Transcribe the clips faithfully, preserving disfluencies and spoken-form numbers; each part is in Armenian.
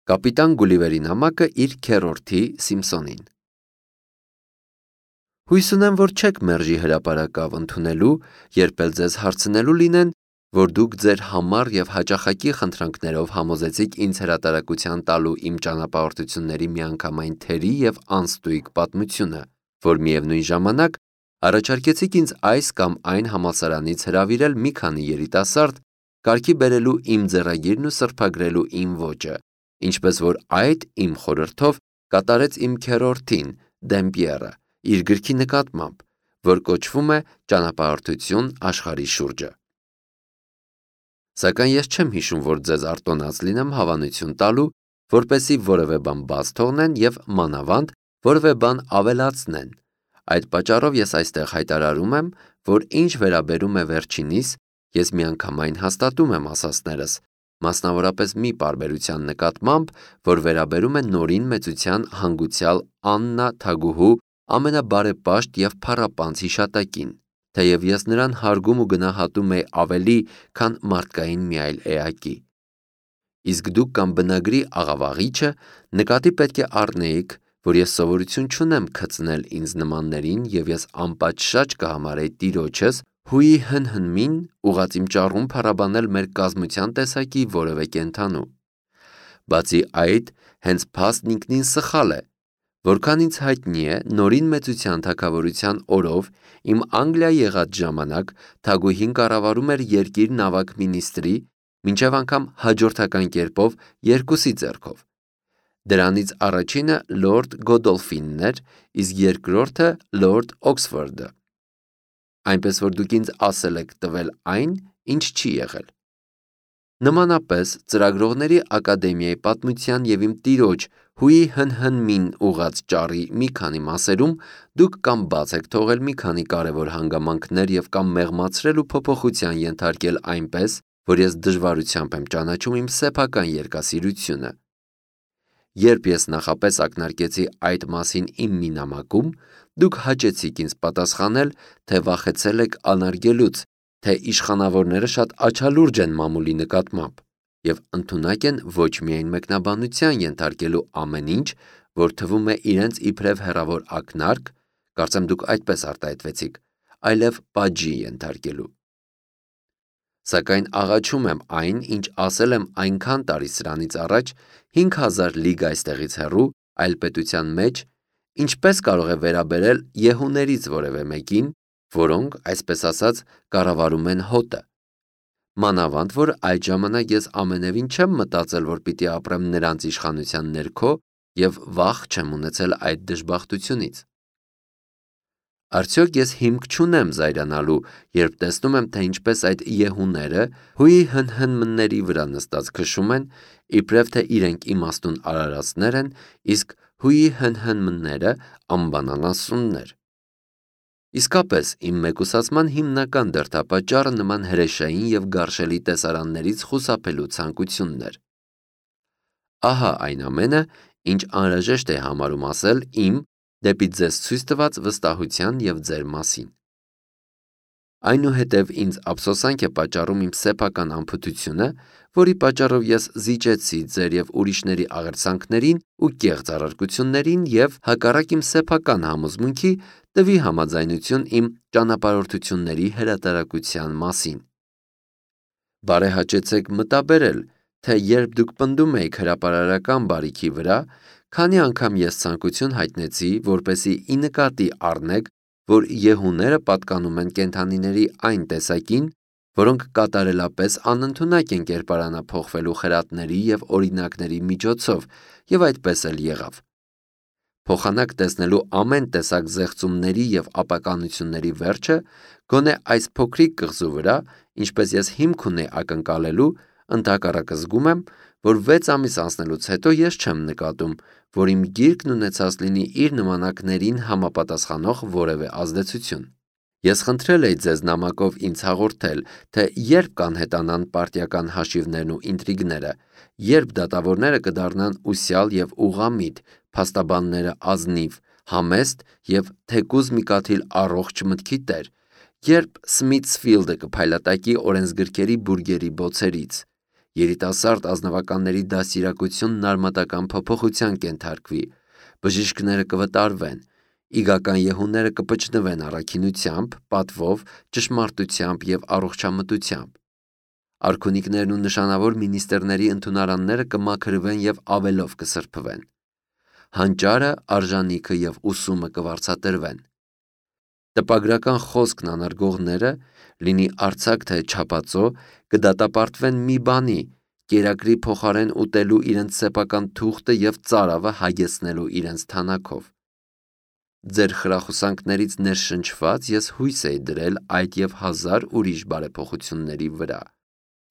Կապիտան Գուլիվերի նամակը իր քեռորդի Սիմպսոնին։ Հույս ունեմ, որ չեք մերժի հրապարակավ ընդունելու, երբ էլ ձեզ հարցնելու լինեն, որ դուք ձեր համառ և հաճախակի խնդրանքներով համոզեցիք ինձ հրատարակության տալու իմ ճանապարհորդությունների միանգամայն թերի և անստույգ պատմությունը, որ միևնույն ժամանակ առաջարկեցիք ինձ այս կամ այն համալսարանից հրավիրել մի քանի երիտասարդ, կարգի բերելու իմ ձեռագիրն ու սրբագրելու իմ ոճը, ինչպես որ այդ իմ խորհրդով կատարեց իմ քեռորդին Դեմպիերը իր գրքի նկատմամբ, որ կոչվում է «Ճանապարհորդություն աշխարհի շուրջը»։ Սակայն ես չեմ հիշում, որ ձեզ արտոնած լինեմ հավանություն տալու, որպեսզի որևէ բան բաց թողնեն և մանավանդ որևէ բան ավելացնեն։ Այդ պատճառով ես այստեղ հայտարարում եմ, որ ինչ վերաբերում է վերջինիս, ես միանգամայն հաստատում եմ ասածներս, մասնավորապես մի պարբերության նկատմամբ, որ վերաբերում է նորին մեծության հանգուցյալ Աննա թագուհու ամենաբարեպաշտ և փառապանծ հիշատակին, թեև ես նրան հարգում ու գնահատում էի ավելի, քան մարդկային մի այլ էակի։ Իսկ դուք կամ բնագրի աղավաղիչը նկատի պետք է առնեիք, որ ես սովորություն չունեմ քծնել ինձ նմաններին և ես անպատշաճ կհամարեի տիրոջս հույի հնհնմին ուղղած իմ ճառում փառաբանել մեր կազմության տեսակի որևէ կենդանու։ Բացի այդ, հենց փաստն ինքնին սխալ է, որքան ինձ հայտնի է, նորին մեծության թագավորության օրով իմ Անգլիա եղած ժամանակ թագուհին կառավարում էր երկիր նավակ մինիստրի, մինչև անգամ հաջորդական կերպով երկուսի ձեռքով։ Դրանից առաջինը լորդ Գոդոլֆինն էր, իսկ երկրորդը լորդ Օքսֆորդը։ Այնպես որ դուք ինձ ասել եք տվել այն, ինչ չի եղել։ Նմանապես ծրագրողների ակադեմիայի պատմության և իմ տիրոջ հույի հնհնմին ուղղած ճառի մի քանի մասերում դուք կամ բաց եք թողել մի քանի կարևոր հանգամանքներ և կամ մեղմացրել ու փոփոխության ենթարկել այնպես, որ ես դժվարությամբ եմ ճանաչում իմ սեփական երգասիրությունը։ Երբ ես նախապես ակնարկեցի այդ մասին իմ մի նամակում, դուք հաճեցիք ինձ պատասխանել, թե վախեցել եք անարգելուց, թե իշխանավորները շատ աչալուրջ են մամուլի նկատմամբ և ընդունակ են ոչ միայն մեկնաբանության ենթարկելու ամեն ինչ, որ թվում է իրենց իբրև հեռավոր ակնարկ, կարծեմ դուք այդպես արտահայտվեցիք, այլև պատժի ենթարկելու։ Սակայն աղաչում եմ այն, ինչ ասել եմ այնքան տարի սրանից առաջ, հինգ հազար լիգ այստեղից հեռու, այլ պետության մեջ, ինչպես կարող է վերաբերել յեհուներից որևէ մեկին, որոնք, այսպես ասած, կառավարում են հոտը։ Մանավանդ որ այդ ժամանակ ես ամենևին չեմ մտածել, որ պիտի ապրեմ նրանց իշխանության ներքո և վախ չեմ ունեցել այդ դժբախտությունից։ Արդյոք ես հիմք չունեմ զայրանալու, երբ տեսնում եմ, թե ինչպես այդ յեհուները հույի հնհնմների վրա նստած քշում են, իբրև թե իրենք իմաստուն արարածներ են, իսկ հույի հնհնմները անբանանասուններ։ Իսկապես, իմ մեկուսացման հիմնական դրդապատճառը նման հրեշային և գարշելի տեսարաններից խուսափելու ցանկությունն էր։ Ահա այն ամենը, ինչ անհրաժեշտ է համարում ասել իմ դեպի ձեզ ցույց տված վստահության և ձեր մասին։ Այնուհետև ինձ ափսոսանք է պատճառում իմ սեփական անփութությունը, որի պատճառով ես զիջեցի ձեր և ուրիշների աղերսանքներին ու կեղծ առարկություններին և, հակառակ իմ սեփական համոզմունքի, տվի համաձայնություն իմ ճանապարհորդությունների հրատարակության մասին։ Բարեհաճեցեք մտաբերել, թե երբ դուք պնդում էիք հրապարարական բարիքի վրա, քանի անգամ ես ցանկություն հայտնեցի, որպեսզի ի նկատի առնեք, որ յեհուները պատկանում են կենդանիների այն տեսակին, որոնք կատարելապես անընդունակ են կերպարանափոխվելու խրատների և օրինակների միջոցով, և այդպես էլ եղավ։ Փոխանակ տեսնելու ամեն տեսակ զեղծումների և ապականությունների վերջը, գոնե այս փոքրիկ կղզու վրա, ինչպես ես հիմք ունեի ակնկալելու, ընդհակառակը զգում եմ, որ վեց ամիս անցնելուց հետո ես չեմ նկատում, որ իմ գիրքն ունեցած լինի իր նմանակներին համապատասխանող որևէ ազդեցություն։ Ես խնդրել էի ձեզ նամակով ինձ հաղորդել, թե երբ կանհետանան պարտիական հաշիվներն ու ինտրիգները, երբ դատավորները կդառնան ուսյալ և ուղղամիտ, փաստաբանները ազնիվ, համեստ և թեկուզ մի կաթիլ առողջ մտքի տեր, երբ Սմիթսֆիլդը կփայլատակի օրենսգրքերի բուրգերի բոցերից, երիտասարդ ազնվականների դաստիարակությունն արմատական փոփոխության կենթարկվի, բժիշկները կվտարվեն, իգական եհուները կպչնվեն առաքինությամբ, պատվով, ճշմարտությամբ և առողջամտությամբ։ Արքունիքներն ու նշանավոր մինիստրների ընդունարանները կմաքրվեն և ավելով կսրբվեն։ Հանճարը, արժանիքը և ուսումը կվարձատրվեն։ Տպագրական խոսքն անարգողները, լինի արձակ թե չափածո, կդատապարտվեն մի բանի, կերակրի փոխարեն ուտելու իրենց սեփական թուղթը և ծարավը հագեցնելու իրենց թանաքով։ Ձեր խրախուսանքներից ներշնչված ես հույս էի դրել այդ և հազար ուրիշ բարեփոխությունների վրա,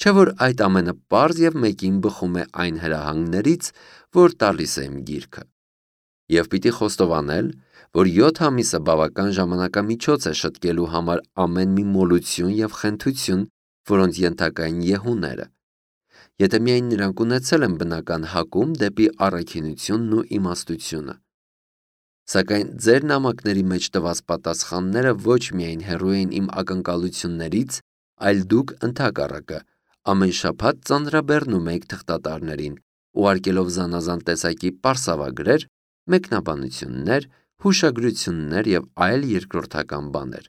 չէ՞ որ այդ ամենը պարզ և մեկին բխում է այն հրահանգներից, որ տալիս է իմ գիրքը։ Եվ պիտի խոստովանել, որ յոթ ամիսը բավական ժամանակամիջոց է շտկելու համար ամեն մի մոլություն և խենթություն, որոնց ենթակա են եհուները, եթե միայն նրանք ունեցել են բնական հակում դեպի առաքինությունն ու իմաստությունը։ Սակայն ձեր նամակների մեջ տված պատասխանները ոչ միայն հեռու էին իմ ակնկալություններից, այլ դուք ընդհակառակը ամեն շաբաթ ծանրաբեռնում էիք թղթատարներին, ուղարկելով զանազան տեսակի պարսավագրեր, մեկնաբանություններ, հուշագրություններ և այլ երկրորդական բաներ։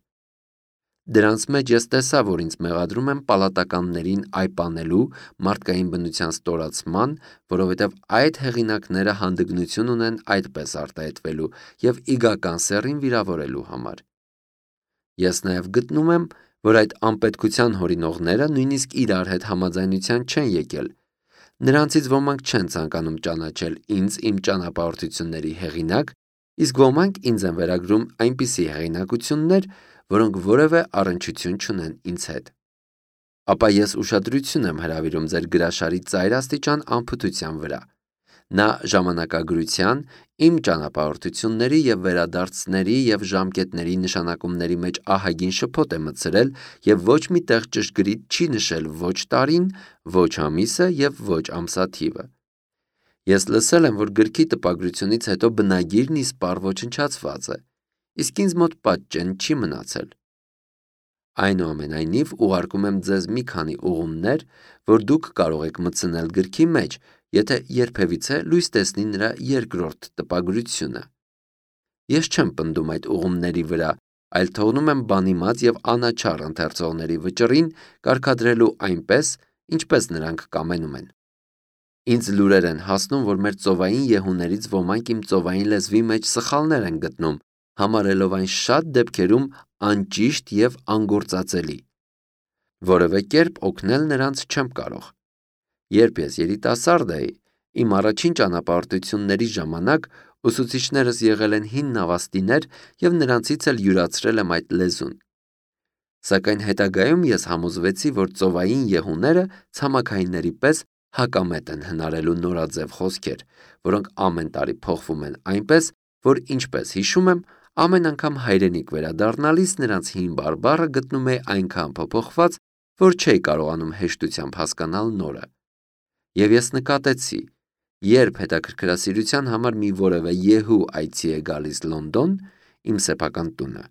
Դրանց մեջ ես տեսա, որ ինձ մեղադրում են պալատականներին այպանելու, մարդկային բնության ստորացման, որովհետև այդ հեղինակները հանդգնություն ունեն այդպես արտահայտվելու և իգական սեռին վիրավորելու համար։ Ես նաև գտնում եմ, որ այդ անպետքության հորինողները նույնիսկ իրար հետ համաձայնության չեն եկել։ Նրանցից ոմանք չեն ցանկանում ճանաչել ինձ իմ ճանապարհորդությունների հեղինակ, իսկ ոմանք ինձ են վերագրում այնպիսի հեղինակություններ, որոնք որևէ առնչություն չունեն ինձ հետ։ Ապա ես ուշադրություն եմ հրավիրում ձեր գրաշարի ծայրաստիճան անփութության վրա։ Նա ժամանակագրության, իմ ճանապարհորդությունների և վերադարձների և ժամկետների նշանակումների մեջ ահագին շփոթ է մտցրել և ոչ մի տեղ ճշգրիտ չի նշել ոչ տարին, ոչ ամիսը և ոչ ամսաթիվը։ Ես լսել եմ, որ գրքի տպագրությունից հետո բնագիրն իսպառ ոչնչացված է, իսկ ինձ մոտ պատճեն չի մնացել։ Այնուամենայնիվ, ուղարկում եմ ձեզ մի քանի ուղումներ, որ դուք կարող եք մտցնել գրքի մեջ, եթե երբևիցե լույս տեսնի նրա երկրորդ տպագրությունը։ Ես չեմ պնդում այդ ուղումների վրա, այլ թողնում եմ բանիմաց և անաչառ ընթերցողների վճռին կարգադրելու այնպես, ինչպես նրանք կամենում են։ Ինձ լուրեր են հասնում, որ մեր ծովային եհուներից ոմանք իմ ծովային լեզվի մեջ սխալներ են գտնում, համարելով այն շատ դեպքերում անճիշտ և անգործածելի։ Որևէ կերպ օգնել նրանց չեմ կարող։ Երբ ես երիտասարդ էի, իմ առաջին ճանապարհորդությունների ժամանակ ուսուցիչներս եղել են հին նավաստիներ և նրանցից էլ յուրացրել եմ այդ լեզուն։ Սակայն հետագայում ես համոզվեցի, որ ծովային եհուները ցամաքայինների պես հակամետ են հնարելու նորաձև խոսքեր, որոնք ամեն տարի փոխվում են այնպես, որ, ինչպես հիշում եմ, ամեն անգամ հայրենիք վերադառնալիս նրանց հին բարբառը գտնում էի այնքան փոփոխված, որ չէի կարողանում հեշտությամբ հասկանալ նորը։ Եվ ես նկատեցի, երբ հետաքրքրասիրության համար մի որևէ եհու այցի է գալիս Լոնդոն, իմ սեփական տունը,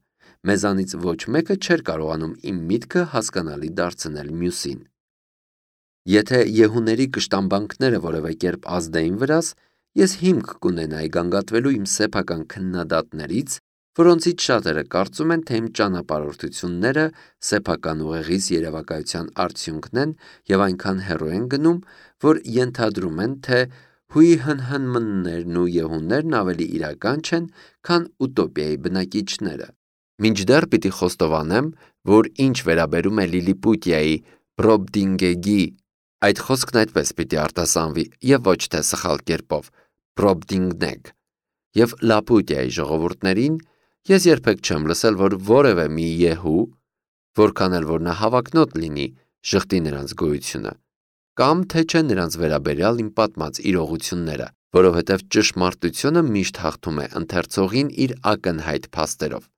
մեզանից ոչ մեկը չէր կարողանում իմ միտքը հասկանալի դարձնել մյուսին։ Եթե եհուների կշտամբանքները որևէ կերպ ազդեին վրաս, ես հիմք կունենայի գանգատվելու իմ սեփական քննադատներից, որոնցից շատերը կարծում են, թե իմ ճանապարհորդությունները սեփական ուղեղիս երևակայության արդյունքն են և այնքան հեռու են գնում, որ ենթադրում են, թե հույհնհնմններն ու եհուներն ավելի իրական չեն, քան ուտոպիայի բնակիչները։ Մինչդեռ պիտի խոստովանեմ, որ ինչ վերաբերում է Լիլիպուտիայի Բրոբդինգեգի, այդ խոսքն այդպես պիտի արտասանվի և ոչ թե սխալ կերպով Բրոբդինգնեգ, և Լապուտիայի ժողովուրդներին, ես երբեք չեմ լսել, որ որևէ մի եհու, որքան էլ որ նա հավակնոտ լինի, ժխտի նրանց գոյությունը, կամ թե չէ նրանց վերաբերյալ իմ պատմած իրողությունները, որովհետև ճշմարտությունը միշտ հաղթում է ընթերցողին իր ակնհայտ փաստերով։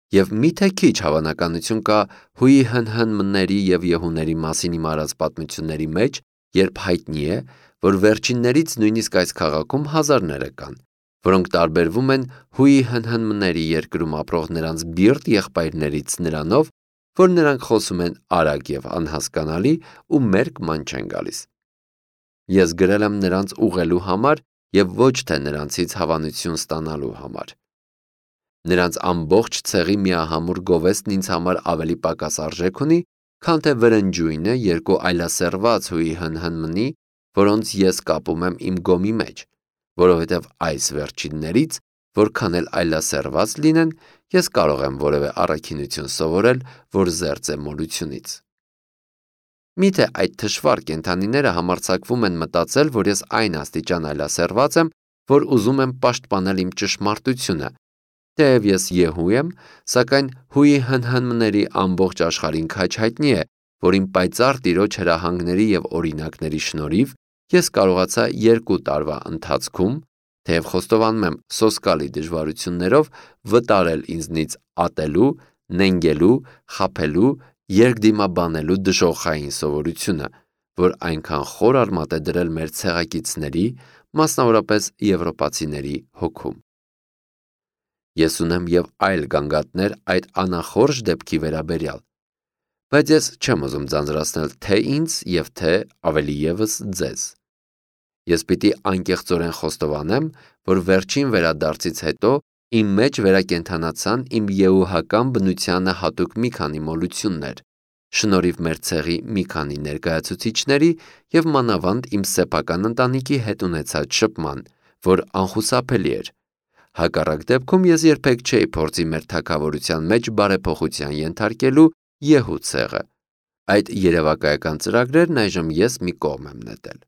Եվ միթե քիչ հավանականություն կա հույհնհնմների և եհուների մասին իմ արած պատմությունների մեջ, երբ հայտնի է, որ վերջիններից նույնիսկ այս քաղաքում հազարները կան, որոնք տարբերվում են հույհնհնմների երկրում ապրող նրանց բիրտ եղբայրներից նրանով, որ նրանք խոսում են արագ և անհասկանալի ու մերկ ման չեն գալիս։ Ես գրել եմ նրանց ուղղելու համար և ոչ թե նրանցից հավանություն ստանալու համար։ Նրանց ամբողջ ցեղի միահամուռ գովեստն ինձ համար ավելի պակաս արժեք ունի, քան թե վրնջույնը երկու այլասեռված հույի հնհնմնի, որոնց ես կապում եմ իմ գոմի մեջ, որովհետև այս վերջիններից, որքան էլ այլասեռված լինեն, ես կարող եմ որևէ առաքինություն սովորել, որ զերծ է մոլությունից։ Միթե այդ թշվառ կենդանիները համարձակվում են մտածել, որ ես այն աստիճան այլասեռված եմ, որ ուզում եմ պաշտպանել իմ ճշմարտությունը, թեև ես Եհու եմ, սակայն հույի հնհնմների ամբողջ աշխարհին քաջ հայտնի է, որ իմ պայծառ Տիրոջ հրահանգների և օրինակների շնորհիվ ես կարողացա երկու տարվա ընթացքում, թեև խոստովանում եմ սոսկալի դժվարություններով, վտարել ինձնից ատելու, նենգելու, խաբելու, երկդիմաբանելու դժոխային սովորությունը, որ այնքան խոր արմատ է դրել մեր ցեղակիցների, մասնավորապես եվրոպացիների հոգում։ Ես ունեմ և այլ գանգատներ այդ անախորժ դեպքի վերաբերյալ, բայց ես չեմ ուզում ձանձրացնել թե ինձ և թե ավելի ևս ձեզ։ Ես պիտի անկեղծորեն խոստովանեմ, որ վերջին վերադարձից հետո իմ մեջ վերակենդանացան իմ եհուհական բնությանը հատուկ մի քանի մոլություններ, շնորհիվ մեր ցեղի մի քանի ներկայացուցիչների և մանավանդ իմ սեփական ընտանիքի հետ ունեցած շփման, որ անխուսափելի էր։ Հակառակ դեպքում ես երբեք չէի փորձի մեր թագավորության մեջ բարեփոխության ենթարկելու Եհու ցեղը։ Այդ երևակայական ծրագրերն այժմ ես մի կողմ եմ նետել։